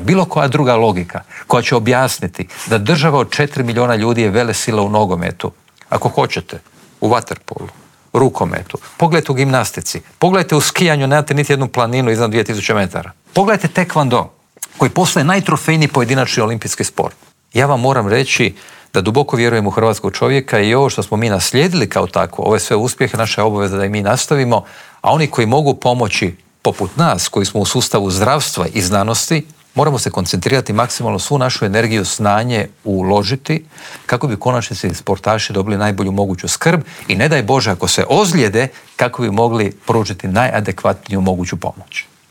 bilo koja druga logika koja će objasniti da država od 4 milijuna ljudi je velesila u nogometu, ako hoćete, u vaterpolu, rukometu, pogledajte u gimnastici, pogledajte u skijanju, nemate niti jednu planinu iznad 2000 metara. Pogledajte taekwondo, koji postaje najtrofejniji pojedinačni olimpijski sport. Ja vam moram reći da duboko vjerujem u hrvatskog čovjeka i ovo što smo mi naslijedili kao takvo, ove sve uspjehe, naša je obaveza da i mi nastavimo, a oni koji mogu pomoći, poput nas, koji smo u sustavu zdravstva i znanosti, moramo se koncentrirati maksimalno svu našu energiju, znanje uložiti kako bi u konačnici sportaši dobili najbolju moguću skrb i ne daj Bože ako se ozlijede kako bi mogli pružiti najadekvatniju moguću pomoć.